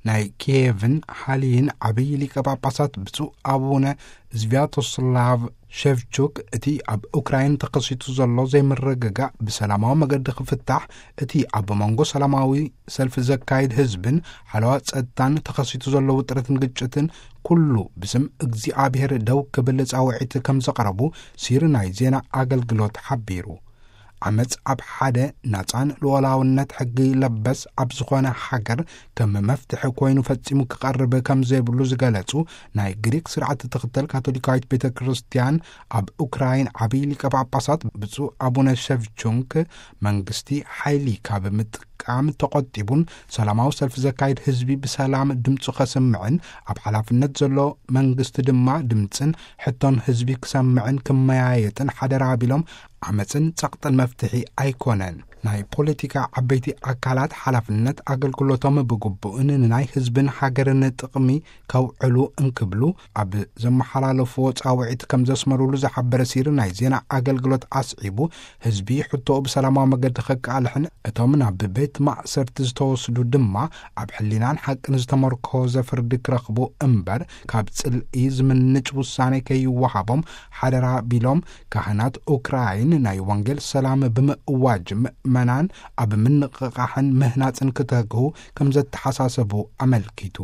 ናይ ኪየቭን ሓልይን ዓብዪ ሊቀ ጳጳሳት ብፁዕ ኣቡነ ዝቪያቶስላቭ ሸቭቹክ፣ እቲ ኣብ ኡክራይን ተኸሲቱ ዘሎ ዘይምርግጋእ ብሰላማዊ መገዲ ክፍታሕ፣ እቲ ኣብ መንጎ ሰላማዊ ሰልፊ ዘካይድ ህዝብን ሓለዋ ጸጥታን ተኸሲቱ ዘሎ ውጥረትን ግጭትን ኩሉ ብስም እግዚኣብሔር ደው ክብል ጻውዒት ከም ዘቕረቡ ሲሪ ናይ ዜና ኣገልግሎት ሓቢሩ። ዓመጽ ኣብ ሓደ ናጻን ልኡላውነት ሕጊ ለበስ ኣብ ዝኾነ ሃገር ከም መፍትሒ ኮይኑ ፈጺሙ ክቐርብ ከም ዘይብሉ ዝገለጹ ናይ ግሪክ ስርዓት ትኽተል ካቶሊካዊት ቤተ ክርስቲያን፣ ኣብ ኡክራይን ዓብዪ ሊቀ ጳጳሳት ብፁዕ ኣቡነ ሸቭቹንክ፣ መንግስቲ ሓይሊ ካብ ምጥቃም ተቖጢቡን ሰላማዊ ሰልፊ ዘካይድ ህዝቢ ብሰላም ድምፁ ከስምዕን፣ ኣብ ሓላፍነት ዘሎ መንግስቲ ድማ ድምፅን ሕቶን ህዝቢ ክሰምዕን ክመያየጥን ሓደራ ቢሎም፣ ዓመፅን ጸቕጥን መፍትሒ ኣይኮነን። ናይ ፖለቲካ ዓበይቲ ኣካላት ሓላፍነት ኣገልግሎቶም ብግቡእን ንናይ ህዝብን ሃገርን ጥቕሚ ከውዕሉ እንክብሉ ኣብ ዘመሓላለፍዎ ጻውዒት ከም ዘስመሩሉ ዝሓበረ ሲሪ ናይ ዜና ኣገልግሎት ኣስዒቡ፣ ህዝቢ ሕቶኡ ብሰላማዊ መገዲ ከቃልሕን እቶም ናብ ቤት ማእሰርቲ ዝተወስዱ ድማ ኣብ ሕሊናን ሓቅን ዝተመርኮዘ ፍርዲ ክረኽቡ እምበር፣ ካብ ጽልኢ ዝምንጭ ውሳኔ ከይወሃቦም ሓደራ ቢሎም፣ ካህናት ኡክራይን ናይ ወንጌል ሰላም ብምእዋጅ ምእመናን ኣብ ምንቕቓሕን ምህናጽን ክተግሁ ከም ዘተሓሳሰቡ ኣመልኪቱ።